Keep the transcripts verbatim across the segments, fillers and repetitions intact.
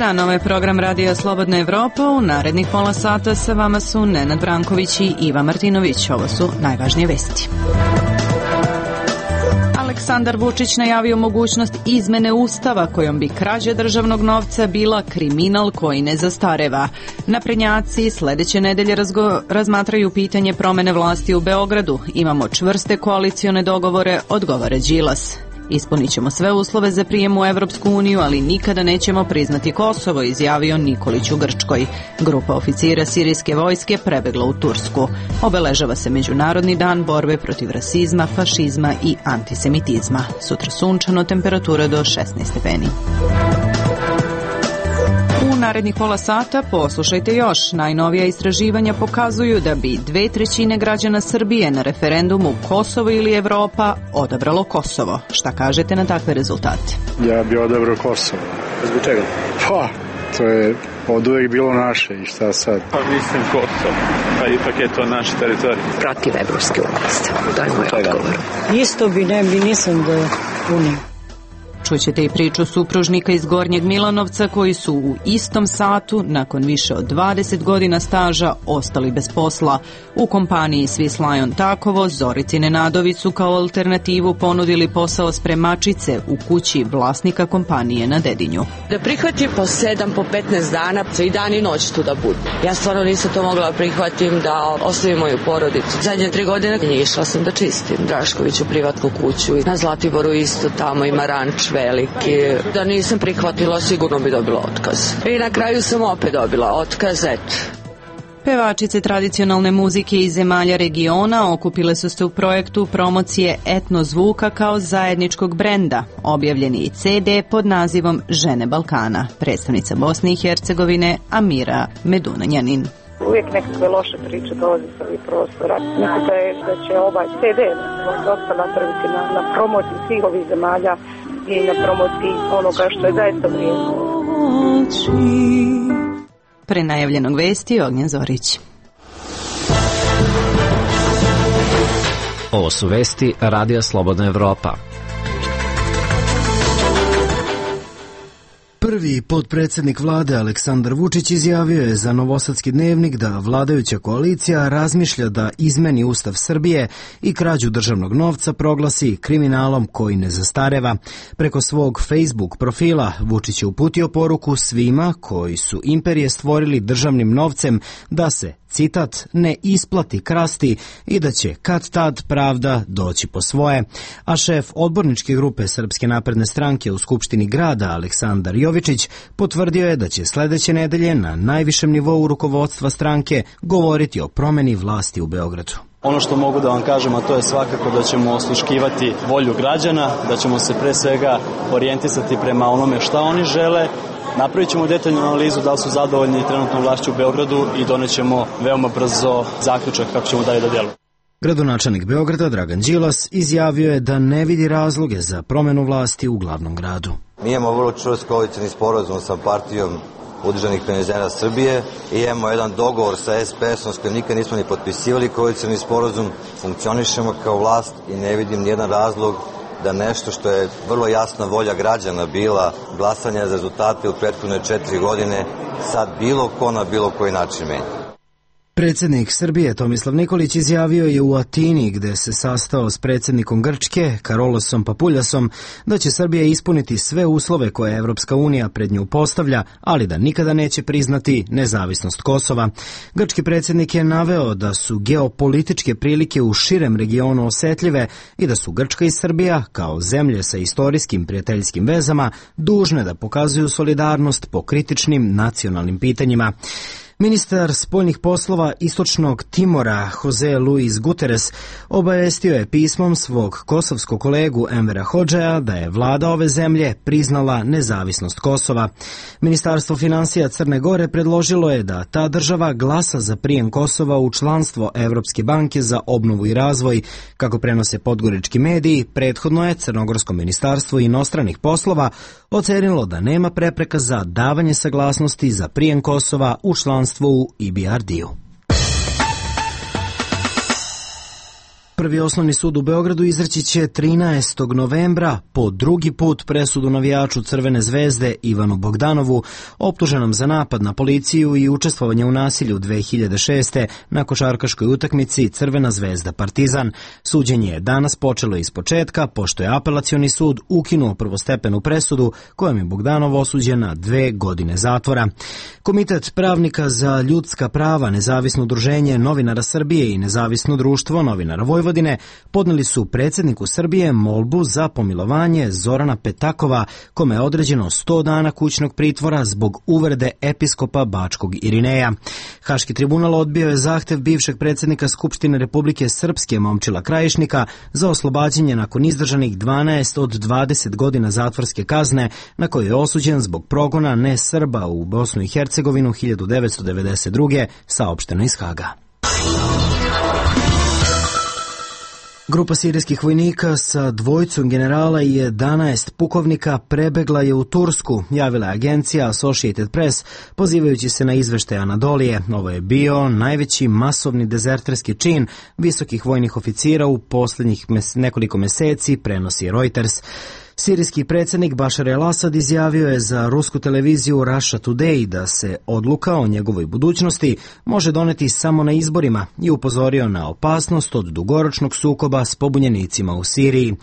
dan, ovo je program Radija Slobodna Evropa. U narednih pola sata sa vama su Nenad Branković i Iva Martinović. Ovo su najvažnije vesti. Aleksandar Vučić najavio mogućnost izmene Ustava kojom bi krađa državnog novca bila kriminal koji ne zastareva. Naprednjaci sledeće nedelje razgo- razmatraju pitanje promene vlasti u Beogradu. Imamo čvrste koalicione dogovore, odgovara Đilas. Ispunit ćemo sve uslove za prijem u Evropsku uniju, ali nikada nećemo priznati Kosovo, izjavio Nikolić u Grčkoj. Grupa oficira sirijske vojske prebegla u Tursku. Obeležava se Međunarodni dan borbe protiv rasizma, fašizma i antisemitizma. Sutra sunčano, temperatura do šesnaest stepeni. U narednih pola sata poslušajte još. Najnovija istraživanja pokazuju da bi dve trećine građana Srbije na referendumu Kosovo ili Evropa odabralo Kosovo. Šta kažete na takve rezultate? Ja bi odabrao Kosovo. Zbog čega? Pa, to je od uvek bilo naše i šta sad? Pa mislim Kosovo, pa ipak je to naš teritorij. Protiv evropske unije. To je moj odgovor. Isto bi ne bi nisam da unije. Čućete i priču supružnika iz Gornjeg Milanovca koji su u istom satu, nakon više od dvadeset godina staža, ostali bez posla. U kompaniji Swiss Lion Takovo Zorici Nenadović su kao alternativu ponudili posao spremačice u kući vlasnika kompanije na Dedinju. Da prihvatim po sedam, po petnaest dana, i dan i noć tu da budu. Ja stvarno nisam to mogla prihvatim da ostavim moju porodicu. Zadnje tri godine išla sam da čistim Draškoviću privatnu kuću. Na Zlatiboru isto, tamo ima ranč veliki. Da nisam prihvatila, sigurno bi dobila otkaz. I na kraju sam opet dobila otkaz, eto. Pevačice tradicionalne muzike iz zemalja regiona okupile su se u projektu promocije etno zvuka kao zajedničkog brenda. Objavljen je i ce de pod nazivom Žene Balkana. Predstavnica Bosne i Hercegovine Amira Medunanjanin. Uvijek nekakve loše priče dolaze sa ovih prostora. Mislim da, je, da će ovaj ce de dosta napraviti na, na promociji svih ovih zemalja i na promociji onoga što je zaista vrijedno. Pre najavljenog vesti Ognjen Zorić. Ovo su vesti Radija Slobodna Evropa. Prvi potpredsjednik vlade Aleksandar Vučić izjavio je za Novosadski dnevnik da vladajuća koalicija razmišlja da izmeni Ustav Srbije i krađu državnog novca proglasi kriminalom koji ne zastareva. Preko svog Facebook profila Vučić je uputio poruku svima koji su imperije stvorili državnim novcem da se, citat, ne isplati krasti i da će kad tad pravda doći po svoje. A šef odborničke grupe Srpske napredne stranke u Skupštini grada Aleksandar Jovičić potvrdio je da će sledeće nedelje na najvišem nivou rukovodstva stranke govoriti o promeni vlasti u Beogradu. Ono što mogu da vam kažem, a to je svakako da ćemo osluškivati volju građana, da ćemo se pre svega orijentisati prema onome šta oni žele. Napravit ćemo detaljnu analizu da li su zadovoljni trenutnom vlašću u Beogradu i donećemo veoma brzo zaključak kako ćemo dalje da djelujemo. Gradonačelnik Beograda Dragan Đilas izjavio je da ne vidi razloge za promenu vlasti u glavnom gradu. Mi imamo vrlo čvrst koalicioni sporazum sa partijom Udruženih penzionera Srbije i imamo jedan dogovor sa es pe esom s kojim nikad nismo ni potpisivali koalicioni sporazum. Funkcionišemo kao vlast i ne vidim nijedan razlog da nešto što je vrlo jasna volja građana bila glasanja za rezultate u prethodne četiri godine sad bilo ko na bilo koji način menja. Predsjednik Srbije Tomislav Nikolić izjavio je u Atini, gde se sastao s predsjednikom Grčke Karolosom Papuljasom, da će Srbija ispuniti sve uslove koje Evropska unija pred nju postavlja, ali da nikada neće priznati nezavisnost Kosova. Grčki predsjednik je naveo da su geopolitičke prilike u širem regionu osetljive i da su Grčka i Srbija, kao zemlje sa istorijskim prijateljskim vezama, dužne da pokazuju solidarnost po kritičnim nacionalnim pitanjima. Ministar spoljnih poslova Istočnog Timora Jose Luis Guterres obavestio je pismom svog kosovskog kolegu Envera Hodžeja da je vlada ove zemlje priznala nezavisnost Kosova. Ministarstvo finansija Crne Gore predložilo je da ta država glasa za prijem Kosova u članstvo Evropske banke za obnovu i razvoj. Kako prenose podgorički mediji, prethodno je Crnogorsko ministarstvo inostranih poslova ocenilo da nema prepreka za davanje saglasnosti za prijem Kosova u članstvo u i be er de-u. Prvi osnovni sud u Beogradu izreći će trinaestog novembra po drugi put presudu navijaču Crvene zvezde Ivanu Bogdanovu, optuženom za napad na policiju i učestvovanje u nasilju dve hiljade šeste. na košarkaškoj utakmici Crvena zvezda Partizan. Suđenje je danas počelo iz početka, pošto je apelacioni sud ukinuo prvostepenu presudu kojom je Bogdanov osuđen na dve godine zatvora. Komitet pravnika za ljudska prava, Nezavisno udruženje novinara Srbije i Nezavisno društvo novinara Vojvodine podneli su predsjedniku Srbije molbu za pomilovanje Zorana Petakova, kome je određeno sto dana kućnog pritvora zbog uvrede episkopa Bačkog Irineja. Haški tribunal odbio je zahtev bivšeg predsjednika Skupštine Republike Srpske Momčila Krajišnika za oslobađanje nakon izdržanih dvanaest od dvadeset godina zatvorske kazne na koju je osuđen zbog progona ne Srba u Bosnu i Hercegovinu hiljadu devetsto devedeset druge. saopšteno iz Haga. Grupa sirijskih vojnika sa dvojicom generala i jedanaest pukovnika prebegla je u Tursku, javila je agencija Associated Press, pozivajući se na izveštaj Anadolije. Ovo je bio najveći masovni dezerterski čin visokih vojnih oficira u posljednjih mes- nekoliko meseci, prenosi Reuters. Sirijski predsjednik Bašar el-Asad izjavio je za rusku televiziju Russia Today da se odluka o njegovoj budućnosti može doneti samo na izborima i upozorio na opasnost od dugoročnog sukoba s pobunjenicima u Siriji.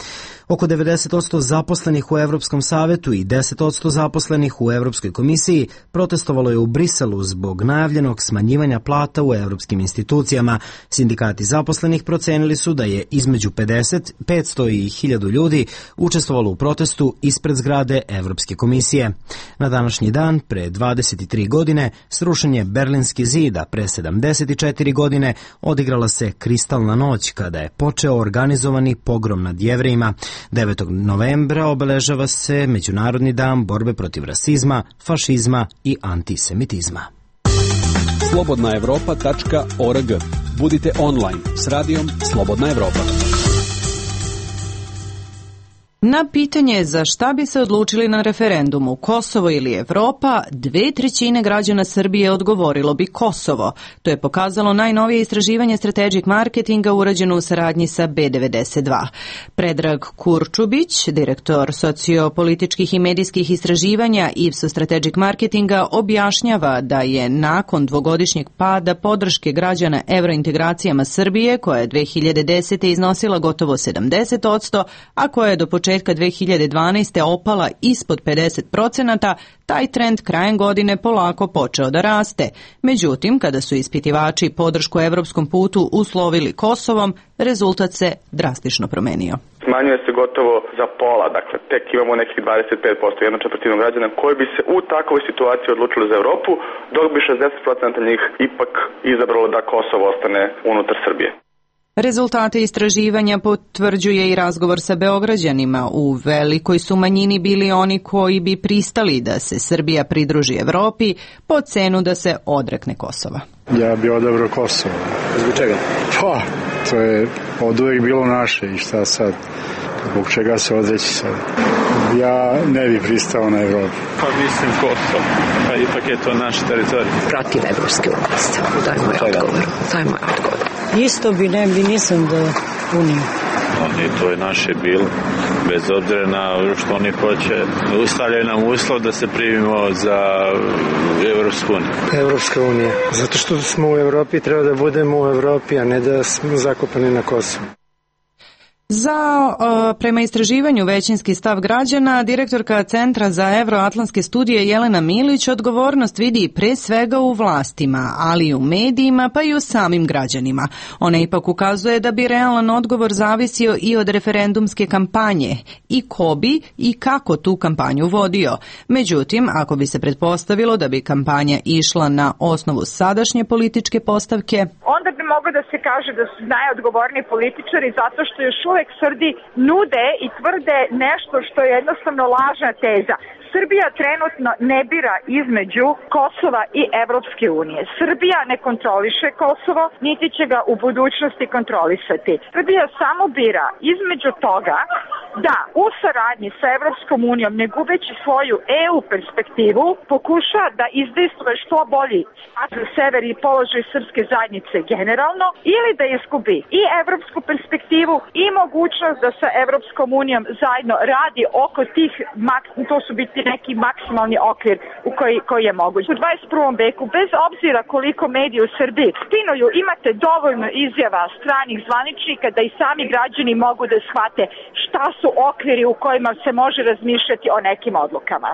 Oko devedeset posto zaposlenih u Evropskom savetu i deset posto zaposlenih u Evropskoj komisiji protestovalo je u Briselu zbog najavljenog smanjivanja plata u evropskim institucijama. Sindikati zaposlenih procenili su da je između pedeset, petsto i hiljadu ljudi učestvovalo u protestu ispred zgrade Evropske komisije. Na današnji dan, pre dvadeset tri godine, srušen je Berlinski zid, a pre sedamdeset četiri godine odigrala se Kristalna noć, kada je počeo organizovani pogrom nad Jevrejima. devetog novembra obeležava se Međunarodni dan borbe protiv rasizma, fašizma i antisemitizma. slobodna evropa tačka org. Budite online s radijom Slobodna Evropa. Na pitanje za šta bi se odlučili na referendumu, Kosovo ili Evropa, dve trećine građana Srbije odgovorilo bi Kosovo. To je pokazalo najnovije istraživanje Strategic Marketinga urađeno u saradnji sa B devedeset dva. Predrag Kurčubić, direktor sociopolitičkih i medijskih istraživanja Ipsos Strategic Marketinga, objašnjava da je nakon dvogodišnjeg pada podrške građana evrointegracijama Srbije, koja je dve hiljade desete. iznosila gotovo sedamdeset posto, a koja je do početka dve hiljade dvanaeste. opala ispod pedeset procenata, taj trend krajem godine polako počeo da raste. Međutim, kada su ispitivači podršku evropskom putu uslovili Kosovom, rezultat se drastično promenio. Smanjuje se gotovo za pola, dakle tek imamo nekih dvadeset pet posto, jednu četvrtinu građana koji bi se u takvoj situaciji odlučili za Evropu, dok bi šezdeset posto njih ipak izabralo da Kosovo ostane unutar Srbije. Rezultate istraživanja potvrđuje i razgovor sa Beograđanima. U velikoj su manjini bili oni koji bi pristali da se Srbija pridruži Evropi po cenu da se odrekne Kosova. Ja bi odabrao Kosovo. Zbog čega? Pa, to je od uvijek bilo naše i šta sad? Zbog čega se odreći sad? Ja ne bi pristao na Evropu. Pa mislim Kosovo. Pa ipak je to naš teritorij. Protiv evropske unije. To je moj odgovor. To je moj odgovor. Isto bi ne bi nisam da uniju. Oni, to je naše bilo. Bez obzira na što oni hoće, stavljaju nam uslov da se primimo za Evropsku uniju. Evropska unija. Zato što smo u Evropi, treba da budemo u Evropi, a ne da smo zakopani na Kosovu. Za, uh, prema istraživanju većinski stav građana, direktorka Centra za evroatlantske studije Jelena Milić odgovornost vidi pre svega u vlastima, ali i u medijima, pa i u samim građanima. Ona ipak ukazuje da bi realan odgovor zavisio i od referendumske kampanje i ko bi i kako tu kampanju vodio. Međutim, ako bi se pretpostavilo da bi kampanja išla na osnovu sadašnje političke postavke, onda bi moglo da se kaže da su najodgovorniji političari zato što još uvek Srbi nude i tvrde nešto što je jednostavno lažna teza. Srbija trenutno ne bira između Kosova i Evropske unije. Srbija ne kontroliše Kosovo, niti će ga u budućnosti kontrolisati. Srbija samo bira između toga da u saradnji sa Evropskom unijom, ne gubeći svoju E U perspektivu, pokuša da izdejstvuje što bolji status sever i položaj srpske zajednice generalno, ili da izgubi i evropsku perspektivu i mogućnost da sa Evropskom unijom zajedno radi oko tih, to su biti neki maksimalni okvir u koji, koji je moguć. U dvadeset prvom veku, bez obzira koliko mediji u Srbiji stinuju, imate dovoljno izjava stranih zvaničnika da i sami građani mogu da shvate šta su okviri u kojima se može razmišljati o nekim odlukama.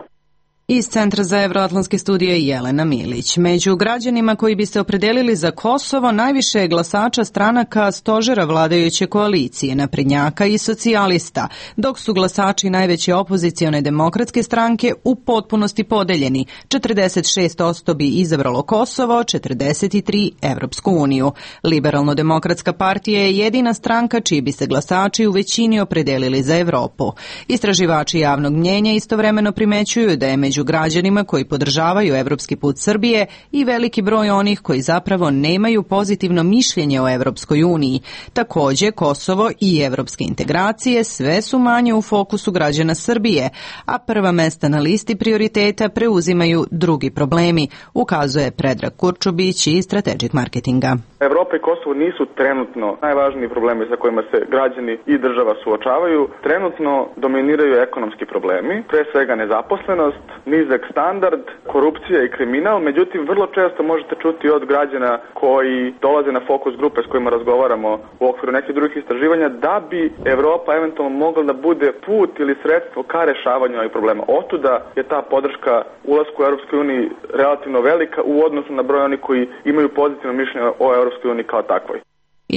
Iz Centra za evroatlantske studije Jelena Milić. Među građanima koji bi se opredelili za Kosovo najviše je glasača stranaka stožera vladajuće koalicije, naprednjaka i socijalista, dok su glasači najveće opozicione demokratske stranke u potpunosti podeljeni. četrdeset šest posto bi izabralo Kosovo, četrdeset tri Evropsku uniju. Liberalno-demokratska partija je jedina stranka čiji bi se glasači u većini opredelili za Evropu. Istraživači javnog mnjenja istovremeno primećuju da je među građanima koji podržavaju evropski put Srbije i veliki broj onih koji zapravo nemaju pozitivno mišljenje o Evropskoj uniji. Takođe, Kosovo i evropske integracije sve su manje u fokusu građana Srbije, a prva mesta na listi prioriteta preuzimaju drugi problemi, ukazuje Predrag Kurčubić iz Strategic Marketinga. Evropa i Kosovo nisu trenutno najvažniji problemi sa kojima se građani i država suočavaju. Trenutno dominiraju ekonomski problemi, pre svega nezaposlenost, nizak standard, korupcija i kriminal, međutim vrlo često možete čuti od građana koji dolaze na fokus grupe s kojima razgovaramo u okviru nekih drugih istraživanja da bi Evropa eventualno mogla da bude put ili sredstvo ka rešavanju ovih problema. Otuda je ta podrška ulasku u Europskoj uniji relativno velika u odnosu na broj onih koji imaju pozitivno mišljenje o Europskoj uniji kao takvoj.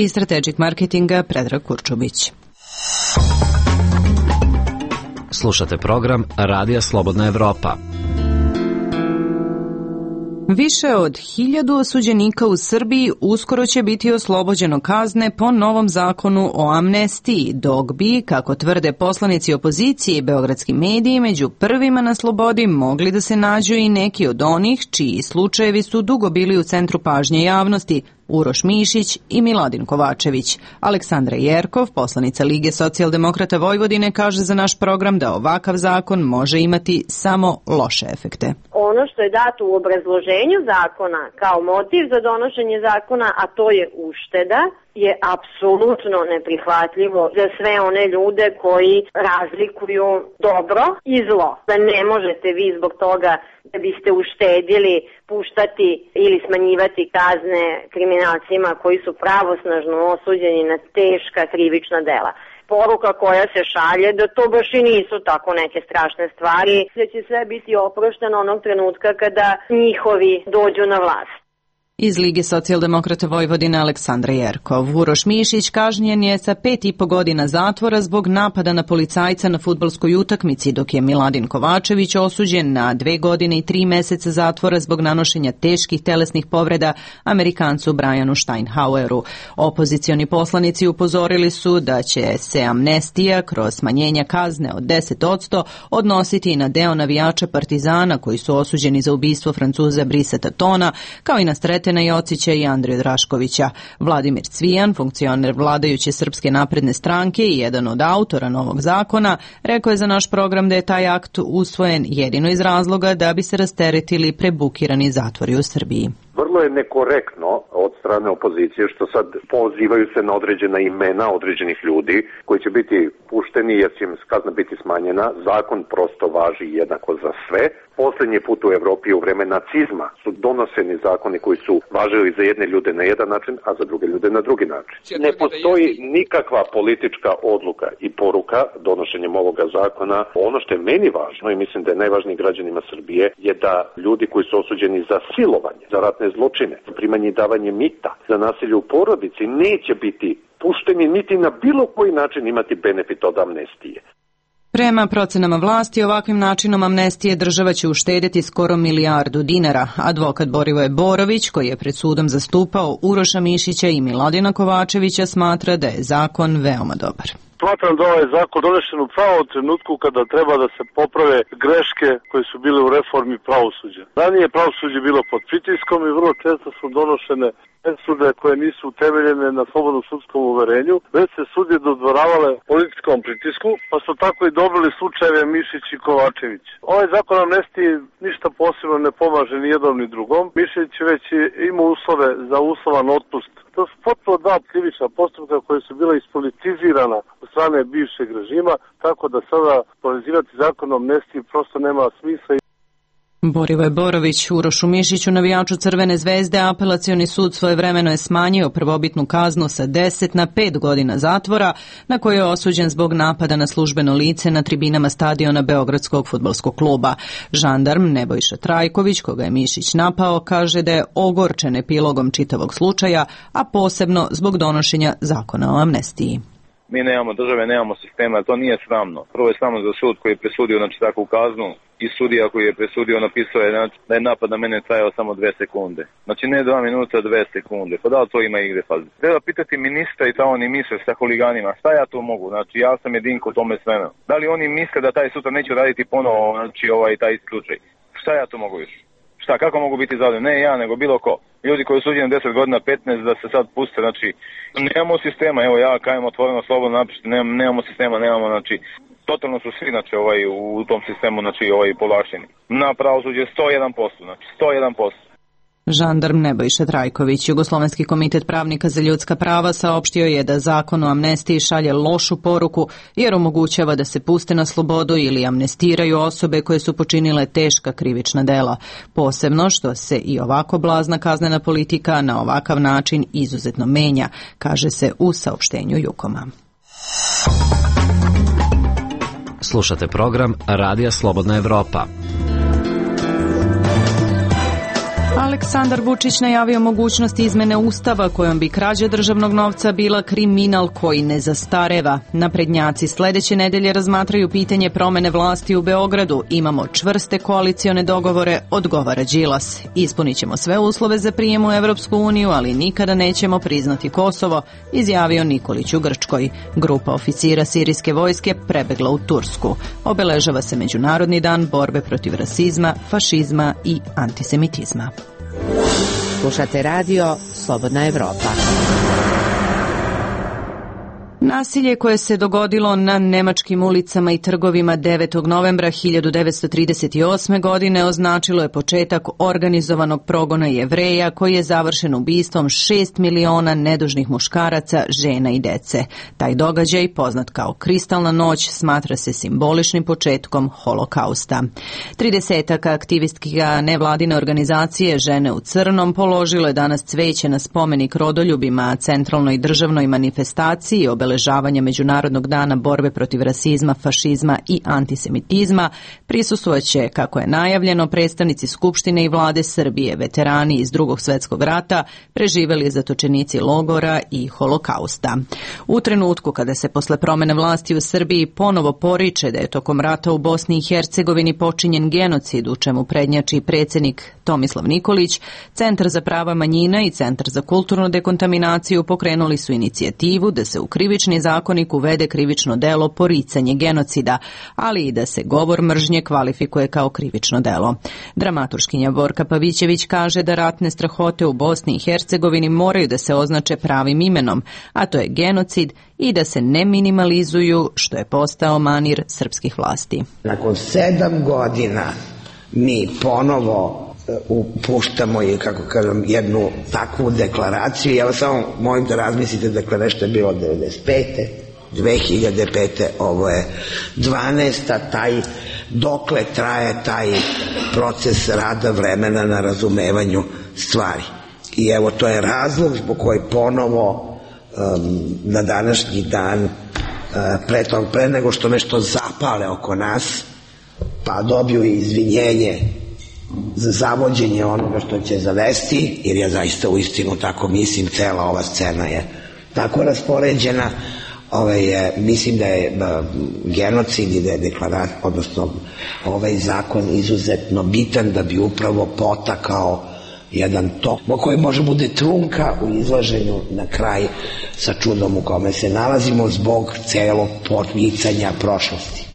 Iz Strategic Marketinga Predrag Kurčubić. Slušate program Radija Slobodna Evropa. Više od hiljadu osuđenika u Srbiji uskoro će biti oslobođeno kazne po novom zakonu o amnestiji, dok bi, kako tvrde poslanici opozicije i beogradski mediji, među prvima na slobodi mogli da se nađu i neki od onih čiji slučajevi su dugo bili u centru pažnje javnosti, Uroš Mišić i Miladin Kovačević. Aleksandra Jerkov, poslanica Lige socijaldemokrata Vojvodine, kaže za naš program da ovakav zakon može imati samo loše efekte. Ono što je dato u obrazloženju zakona kao motiv za donošenje zakona, a to je ušteda, je apsolutno neprihvatljivo za sve one ljude koji razlikuju dobro i zlo. Da ne možete vi zbog toga da biste uštedili puštati ili smanjivati kazne kriminalcima koji su pravosnažno osuđeni na teška krivična dela. Poruka koja se šalje da to baš i nisu tako neke strašne stvari, da će sve biti oprošteno onog trenutka kada njihovi dođu na vlast. Iz Lige socijaldemokrata Vojvodine Aleksandra Jerkov. Uroš Mišić kažnjen je sa pet i po godina zatvora zbog napada na policajca na fudbalskoj utakmici, dok je Miladin Kovačević osuđen na dve godine i tri meseca zatvora zbog nanošenja teških telesnih povreda Amerikancu Brianu Steinhaueru. Opozicioni poslanici upozorili su da će se amnestija kroz smanjenja kazne od deset posto odnositi i na deo navijača Partizana koji su osuđeni za ubistvo Francuza Brisa Tatona, kao i na Sretena Jocića i Andriju Draškovića. Vladimir Cvijan, funkcioner vladajuće Srpske napredne stranke i jedan od autora novog zakona, rekao je za naš program da je taj akt usvojen jedino iz razloga da bi se rasteretili prebukirani zatvori u Srbiji. Vrlo je nekorektno od strane opozicije što sad pozivaju se na određena imena određenih ljudi koji će biti pušteni jer će im kazna biti smanjena. Zakon prosto važi jednako za sve. Poslednji put u Evropi u vreme nacizma su donoseni zakoni koji su važili za jedne ljude na jedan način, a za druge ljude na drugi način. Ne postoji nikakva politička odluka i poruka donošenjem ovoga zakona. Ono što je meni važno i mislim da je najvažniji građanima Srbije je da ljudi koji su osuđeni za silovanje, za ratne zločine, za primanje i davanje mita, za nasilje u porodici neće biti pušteni niti na bilo koji način imati benefit od amnestije. Prema procenama vlasti, ovakvim načinom amnestije država će uštedjeti skoro milijardu dinara. Advokat Borivoje Borović, koji je pred sudom zastupao Uroša Mišića i Miladina Kovačevića, smatra da je zakon veoma dobar. Smatram da ovaj zakon donešen u pravom trenutku kada treba da se poprave greške koje su bile u reformi pravosuđa. Ranije pravosuđe bilo pod pritiskom i vrlo često su donošene presude koje nisu utemeljene na slobodnom sudskom uverenju, već se sudije dodvoravale političkom pritisku, pa su tako i dobili slučajeve Mišić i Kovačević. Ovaj zakon amnestiji ništa posebno ne pomaže ni jednom ni drugom. Mišić već ima uslove za uslovan otpust. To su potpuno dva krivična postupka koje su bila ispolitizirana od strane bivšeg režima, tako da sada povezivati zakon o amnestiji prosto nema smisla. Borivoje Borović, Urošu Mišiću, navijaču Crvene zvezde, apelacioni sud svojevremeno je smanjio prvobitnu kaznu sa deset na pet godina zatvora, na koju je osuđen zbog napada na službeno lice na tribinama stadiona Beogradskog fudbalskog kluba. Žandarm Nebojša Trajković, koga je Mišić napao, kaže da je ogorčen epilogom čitavog slučaja, a posebno zbog donošenja zakona o amnestiji. Mi nemamo države, nemamo sistema, to nije sramno. Prvo je sramno za sud koji je presudio znači, takvu kaznu i sudija koji je presudio napisao je znači, da je napad na mene trajao samo dve sekunde. Znači ne dva minuta, dve sekunde. Pa da li to ima igre? Pa treba pitati ministra i ta oni misle sa huliganima. Šta ja to mogu? Znači ja sam jedinko u tome sveme. Da li oni misle da taj sutra neću raditi ponovo znači, ovaj, taj slučaj? Šta ja to mogu još? Šta, kako mogu biti zadovoljni? Ne ja, nego bilo ko. Ljudi koji su suđeni deset godina, petnaest, da se sad puste, znači, nemamo sistema, evo ja kajem otvoreno, slobodno napišite, nemamo, nemamo sistema, nemamo, znači, totalno su svi, znači, ovaj, u tom sistemu, znači, ovaj, povlašteni. Na pravosuđe sto jedan posto, znači, sto jedan posto. Žandarm Nebojša Trajković, Jugoslovenski komitet pravnika za ljudska prava, saopštio je da zakon o amnestiji šalje lošu poruku jer omogućava da se puste na slobodu ili amnestiraju osobe koje su počinile teška krivična dela. Posebno što se i ovako blazna kaznena politika na ovakav način izuzetno menja, kaže se u saopštenju Jukoma. Slušate program Radija Slobodna Evropa. Aleksandar Vučić najavio mogućnost izmene Ustava kojom bi krađa državnog novca bila kriminal koji ne zastareva. Naprednjaci sledeće nedelje razmatraju pitanje promene vlasti u Beogradu. Imamo čvrste koalicione dogovore, odgovara Đilas. Ispunit ćemo sve uslove za prijem u Evropsku uniju, ali nikada nećemo priznati Kosovo, izjavio Nikolić u Grčkoj. Grupa oficira sirijske vojske prebegla u Tursku. Obeležava se Međunarodni dan borbe protiv rasizma, fašizma i antisemitizma. Slušate radio Slobodna Evropa. Nasilje koje se dogodilo na nemačkim ulicama i trgovima devetog novembra hiljadu devetsto trideset osme. godine označilo je početak organizovanog progona Jevreja koji je završen ubistvom šest miliona nedužnih muškaraca, žena i dece. Taj događaj, poznat kao Kristalna noć, smatra se simboličnim početkom holokausta. Tridesetak aktivistkinja nevladine organizacije Žene u crnom položilo je danas cveće na spomenik rodoljubima centralnoj državnoj manifestaciji obeležavanja Međunarodnog dana borbe protiv rasizma, fašizma i antisemitizma. Prisustvojaće, kako je najavljeno, predstavnici Skupštine i vlade Srbije, veterani iz Drugog svetskog rata, preživeli zatočenici logora i holokausta. U trenutku kada se posle promene vlasti u Srbiji ponovo poriče da je tokom rata u Bosni i Hercegovini počinjen genocid, u čemu prednjači predsjednik Tomislav Nikolić, Centar za prava manjina i Centar za kulturnu dekontaminaciju pokrenuli su inicijativu da se u krivični zakonik uvede krivično delo poricanje genocida, ali i da se govor mržnje kvalifikuje kao krivično delo. Dramaturškinja Borka Pavićević kaže da ratne strahote u Bosni i Hercegovini moraju da se označe pravim imenom, a to je genocid, i da se ne minimalizuju, što je postao manir srpskih vlasti. Nakon sedam godina mi ponovo upuštamo i, kako kažem, jednu takvu deklaraciju. Ja vas samo molim da razmislite, dakle, nešto je bilo devedeset pete dve hiljade pete ovo je dvanaesta taj, dokle traje taj proces rada vremena na razumevanju stvari. I evo, to je razlog zbog koji ponovo um, na današnji dan, uh, pre, tog, pre nego što nešto zapale oko nas, pa dobiju izvinjenje za zavođenje onoga što će zavesti, jer ja zaista u istinu tako mislim, cela ova scena je tako raspoređena. Ovaj je, mislim da je uh, genocid i da je deklarat, odnosno ovaj zakon izuzetno bitan da bi upravo potakao jedan tok koji može bude trunka u izlaženju na kraj sa čudom u kome se nalazimo zbog celog poricanja prošlosti.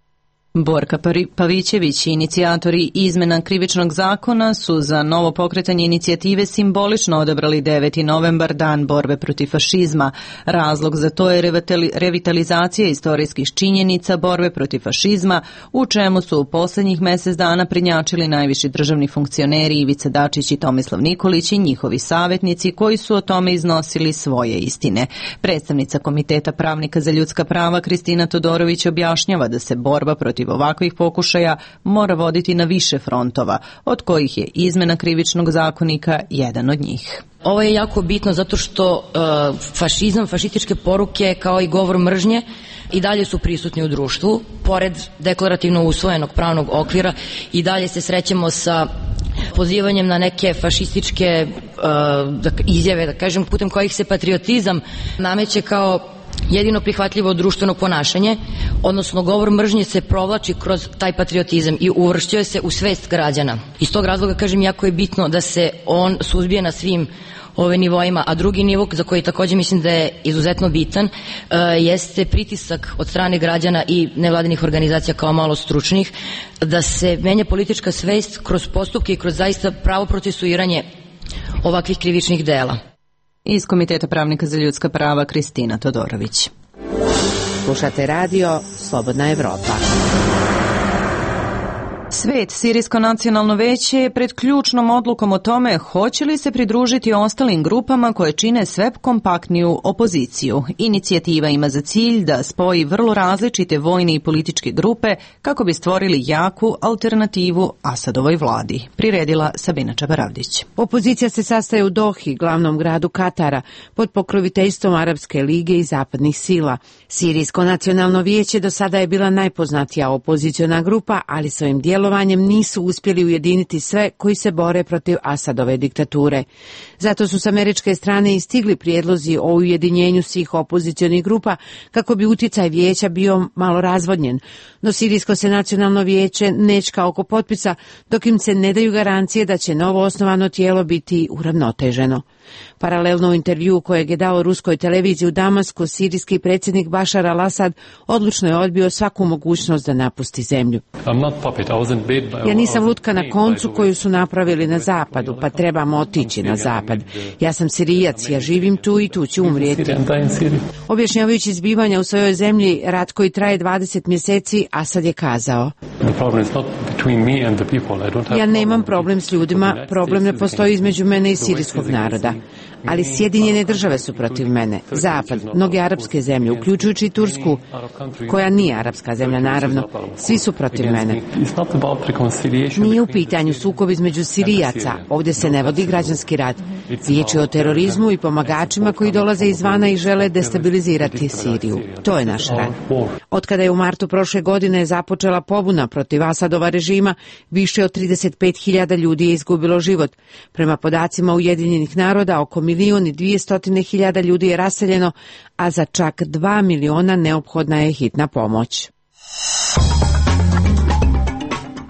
Borka Pavićević i inicijatori izmena krivičnog zakona su za novo pokretanje inicijative simbolično odabrali deveti novembar, dan borbe protiv fašizma. Razlog za to je revitalizacija istorijskih činjenica borbe protiv fašizma, u čemu su u poslednjih mesec dana prednjačili najviši državni funkcioneri Ivica Dačić i Tomislav Nikolić i njihovi savjetnici koji su o tome iznosili svoje istine. Predstavnica Komiteta pravnika za ljudska prava Kristina Todorović objašnjava da se borba protiv ovakvih pokušaja mora voditi na više frontova, od kojih je izmena krivičnog zakonika jedan od njih. Ovo je jako bitno zato što uh, fašizam, fašističke poruke kao i govor mržnje i dalje su prisutni u društvu, pored deklarativno usvojenog pravnog okvira i dalje se srećemo sa pozivanjem na neke fašističke uh, izjave, da kažem, putem kojih se patriotizam nameće kao jedino prihvatljivo društveno ponašanje, odnosno govor mržnje se provlači kroz taj patriotizam i uvršćuje se u svest građana. Iz tog razloga, kažem, jako je bitno da se on suzbije na svim ove nivoima, a drugi nivo za koji također mislim da je izuzetno bitan uh, jeste pritisak od strane građana i nevladinih organizacija kao malo stručnih, da se menja politička svest kroz postupke i kroz zaista pravo procesuiranje ovakvih krivičnih dela. Iz Komiteta pravnika za ljudska prava Kristina Todorović. Slušate radio Slobodna Evropa. Svet, Sirijsko nacionalno veće je pred ključnom odlukom o tome hoće li se pridružiti ostalim grupama koje čine sve kompaktniju opoziciju. Inicijativa ima za cilj da spoji vrlo različite vojne i političke grupe kako bi stvorili jaku alternativu Asadovoj vladi. Priredila Sabina Čabaravdić. Opozicija se sastaje u Dohi, glavnom gradu Katara, pod pokroviteljstvom Arapske lige i zapadnih sila. Sirijsko nacionalno vijeće do sada je bila najpoznatija opoziciona grupa, ali svojim djelovanjem nisu uspjeli ujediniti sve koji se bore protiv Asadove diktature. Zato su s američke strane i stigli prijedlozi o ujedinjenju svih opozicionih grupa kako bi utjecaj vijeća bio malo razvodnjen. No Sirijsko se nacionalno vijeće nečka oko potpisa dok im se ne daju garancije da će novo osnovano tijelo biti uravnoteženo. Paralelno u intervju kojeg je dao ruskoj televiziji u Damasku, sirijski predsjednik Bašar al-Asad odlučno je odbio svaku mogućnost da napusti zemlju. Ja nisam lutka na koncu koju su napravili na zapadu, pa trebamo otići na zapad. Ja sam Sirijac, ja živim tu i tu ću umrijeti. Objašnjavajući zbivanja u svojoj zemlji, rat koji traje dvadeset mjeseci, Asad je kazao: ja nemam problem s ljudima, problem ne postoji između mene i sirijskog naroda. Ali Sjedinjene države su protiv mene, Zapad, mnoge arapske zemlje, uključujući i Tursku, koja nije arapska zemlja, naravno, svi su protiv mene. Nije u pitanju sukob između Sirijaca, ovdje se ne vodi građanski rat. Riječ je o terorizmu i pomagačima koji dolaze izvana i žele destabilizirati Siriju. To je naš rat. Otkada je u martu prošle godine započela pobuna protiv Asadova režima, više od trideset pet hiljada ljudi je izgubilo život. Prema podacima Ujedinjenih naroda, oko milijun i dvije hiljade ljudi je raseljeno, a za čak dva miliona neophodna je hitna pomoć.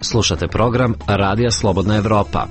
Slušate program Radija Slobodna Evropa.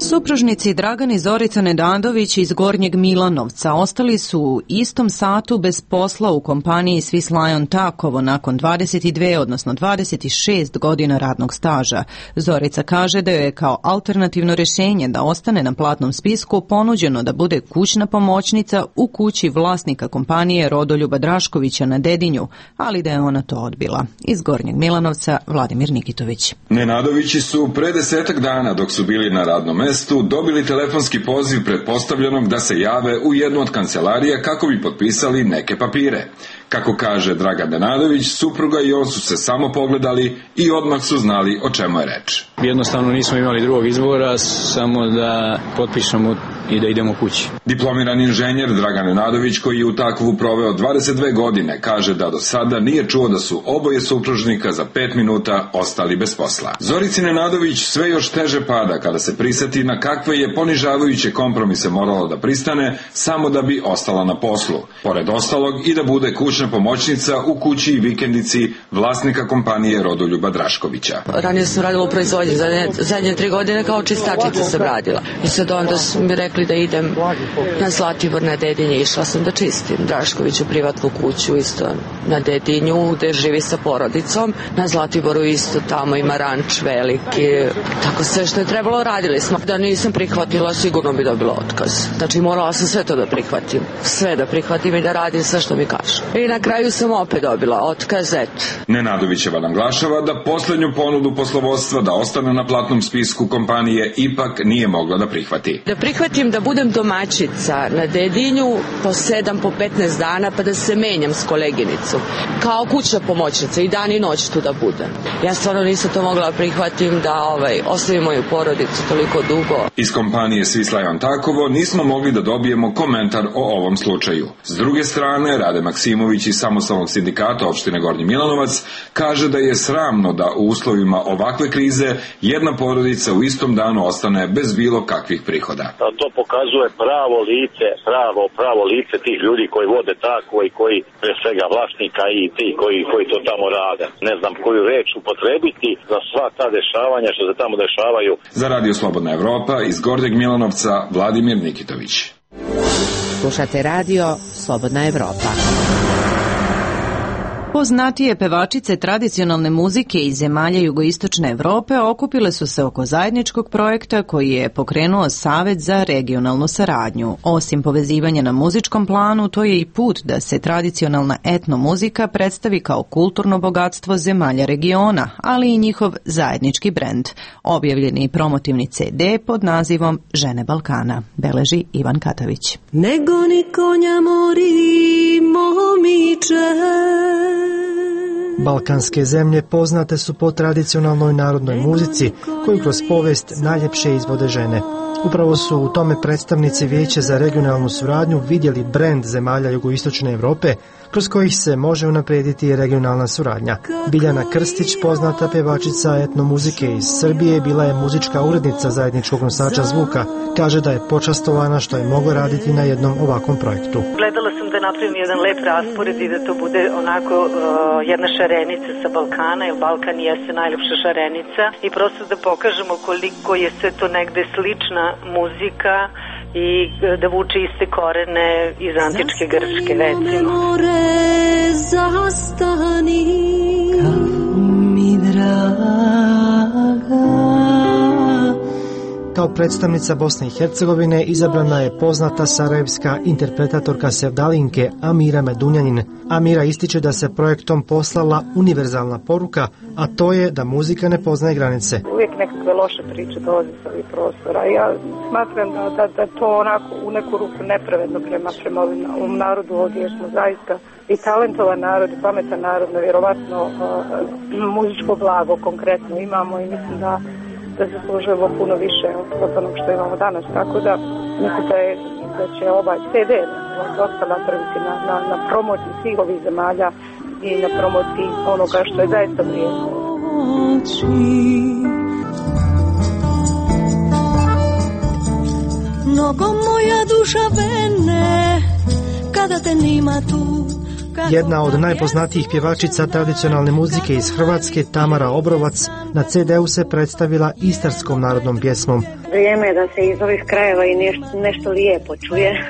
Supružnici Dragan i Zorica Nedadović iz Gornjeg Milanovca ostali su u istom satu bez posla u kompaniji Swiss Lion Takovo nakon dvadeset dve, odnosno dvadeset šest godina radnog staža. Zorica kaže da joj je kao alternativno rješenje da ostane na platnom spisku ponuđeno da bude kućna pomoćnica u kući vlasnika kompanije Rodoljuba Draškovića na Dedinju, ali da je ona to odbila. Iz Gornjeg Milanovca Vladimir Nikitović. Nenadovići su pre desetak dana dok su bili na radnom mestu dobili telefonski poziv pretpostavljenom da se jave u jednu od kancelarija kako bi potpisali neke papire. Kako kaže Dragan Nenadović, supruga i on su se samo pogledali i odmah su znali o čemu je reč. Jednostavno nismo imali drugog izbora, samo da potpišemo i da idemo kući. Diplomirani inženjer Dragan Nenadović, koji je u Takovu proveo dvadeset dve godine, kaže da do sada nije čuo da su oboje supružnika za pet minuta ostali bez posla. Zorici Nenadović sve još teže pada kada se priseti na kakve je ponižavajuće kompromise morala da pristane samo da bi ostala na poslu. Pored ostalog i da bude kućna pomoćnica u kući i vikendici vlasnika kompanije Rodoljuba Draškovića. Ranije sam radila u proizvodnji, zadnje, zadnje tri godine kao čistačica sam radila. I sad onda su mi rekli da idem na Zlatibor na Dedinje, išla sam da čistim Draškoviću privatnu kuću isto na Dedinju gde živi sa porodicom. Na Zlatiboru isto tamo ima ranč veliki. Tako sve što je trebalo radili smo. Da nisam prihvatila sigurno bi dobila otkaz. Znači morala sam sve to da prihvatim. Sve da prihvatim i da radim sve što mi kažu. I na kraju sam opet dobila otkaz, eto. Nenadovićeva naglašava da poslednju ponudu poslovodstva da ostane na platnom spisku kompanije ipak nije mogla da prihvati. Da prihvatim da budem domaćica na Dedinju po sedam, po petnaest dana pa da se menjam s koleginicom. Kao kućna pomoćnica i dan i noć tu da budem. Ja stvarno nisam to mogla prihvatim da ovaj, ostavim moju porodicu toliko dugo. Iz kompanije Svislajan Takovo nismo mogli da dobijemo komentar o ovom slučaju. S druge strane, Rade Maksimović iz Samostalnog sindikata opštine Gornji Milanovac kaže da je sramno da u uslovima ovakve krize jedna porodica u istom danu ostane bez bilo kakvih prihoda. To pokazuje pravo lice, pravo, pravo lice tih ljudi koji vode tako i koji pre svega vlasnika i ti koji, koji to tamo rade. Ne znam koju reč upotrebiti za sva ta dešavanja što se tamo dešavaju. Za Radio Slobodna Evropa iz Gornjeg Milanovca Vladimir Nikitović. Slušate Radio Slobodna Evropa. Poznatije pevačice tradicionalne muzike iz zemalja jugoistočne Evrope okupile su se oko zajedničkog projekta koji je pokrenuo Savet za regionalnu saradnju. Osim povezivanja na muzičkom planu, to je i put da se tradicionalna etno muzika predstavi kao kulturno bogatstvo zemalja regiona, ali i njihov zajednički brend. Objavljeni promotivni ce de pod nazivom Žene Balkana, beleži Ivan Katavić. Nego ni konja mori momiče. Balkanske zemlje poznate su po tradicionalnoj narodnoj muzici koju kroz povijest najljepše izvode žene. Upravo su u tome predstavnici Vijeća za regionalnu suradnju vidjeli brend zemalja jugoistočne Evrope kroz kojih se može unaprijediti regionalna suradnja. Biljana Krstić, poznata pevačica etnomuzike iz Srbije, bila je muzička urednica zajedničkog nosača zvuka. Kaže da je počastovana što je mogla raditi na jednom ovakvom projektu. Gledala sam da napravim jedan lep raspored i da to bude onako uh, jedna šarenica sa Balkana, jer Balkan jeste najljepša šarenica i prosto da pokažemo koliko je sve to negde slična muzika i da vuče iste korene iz antičke Grčke, recimo. Zastani, mi draga. Kao predstavnica Bosne i Hercegovine izabrana je poznata sarajevska interpretatorka sevdalinke Amira Medunjanin. Amira ističe da se projektom poslala univerzalna poruka, a to je da muzika ne poznaje granice. Uvijek nekakve loše priče dolaze sa ovih prostora. Ja smatram da, da, da to onako u neku ruku nepravedno prema, prema ovom narodu ovdje, jer smo zaista i talentovan narod i pametan narod, vjerovatno uh, muzičko blago konkretno imamo i mislim da da zaslužujemo puno više od onog što imamo danas, tako da mislim da, je, da će ovaj ce de dosta napraviti na, na, na promociji svih ovih zemalja i na promociji onoga što je zaista vrijedno. Mnogo moja duša vene kada te nima tu. Jedna od najpoznatijih pjevačica tradicionalne muzike iz Hrvatske, Tamara Obrovac, na ce de u se predstavila istarskom narodnom pjesmom. Vrijeme je da se iz ovih krajeva i nešto, nešto lijepo čuje.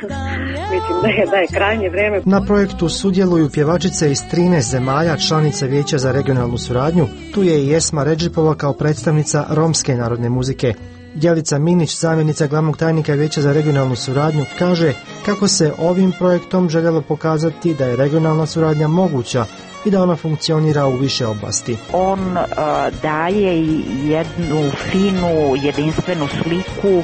Mislim da je, da je krajnje vrijeme. Na projektu sudjeluju pjevačice iz trinaest zemalja, članice Vijeća za regionalnu suradnju. Tu je i Esma Redžipova kao predstavnica romske narodne muzike. Djelica Minić, zamjenica glavnog tajnika Vijeća za regionalnu suradnju, kaže kako se ovim projektom željelo pokazati da je regionalna suradnja moguća, i da ona funkcionira u više oblasti. On uh, daje jednu finu, jedinstvenu sliku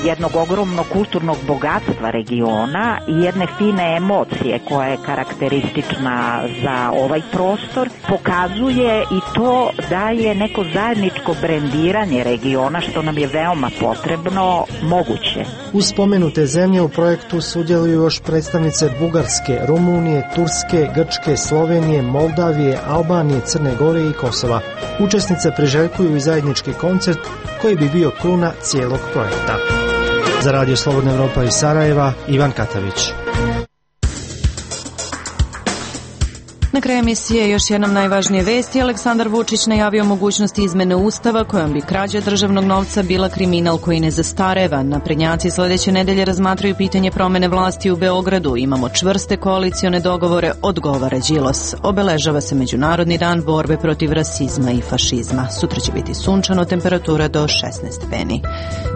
jednog ogromnog kulturnog bogatstva regiona i jedne fine emocije koja je karakteristična za ovaj prostor. Pokazuje i to da je neko zajedničko brendiranje regiona, što nam je veoma potrebno, moguće. Uz spomenute zemlje u projektu sudjeluju još predstavnice Bugarske, Rumunije, Turske, Grčke, Slovenije, Moldavije, Albanije, Crne Gore i Kosova. Učesnice priželjkuju i zajednički koncert koji bi bio kruna cijelog projekta. Za Radio Slobodna Evropa iz Sarajeva, Ivan Katavić. Na kraju emisije još jednom najvažnije vesti. Aleksandar Vučić najavio mogućnost izmene Ustava kojom bi krađa državnog novca bila kriminal koji ne zastareva. Naprednjaci sljedeće nedelje razmatraju pitanje promene vlasti u Beogradu. Imamo čvrste koalicione dogovore, odgovara Đilas. Obeležava se Međunarodni dan borbe protiv rasizma i fašizma. Sutra će biti sunčano, temperatura do šesnaest stepeni.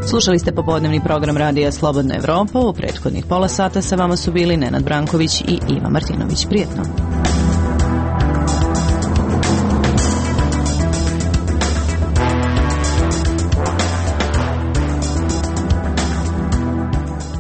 Slušali ste popodnevni program Radija Slobodna Evropa. U prethodnih pola sata sa vama su bili Nenad Branković i Iva Martinović. Prijetno.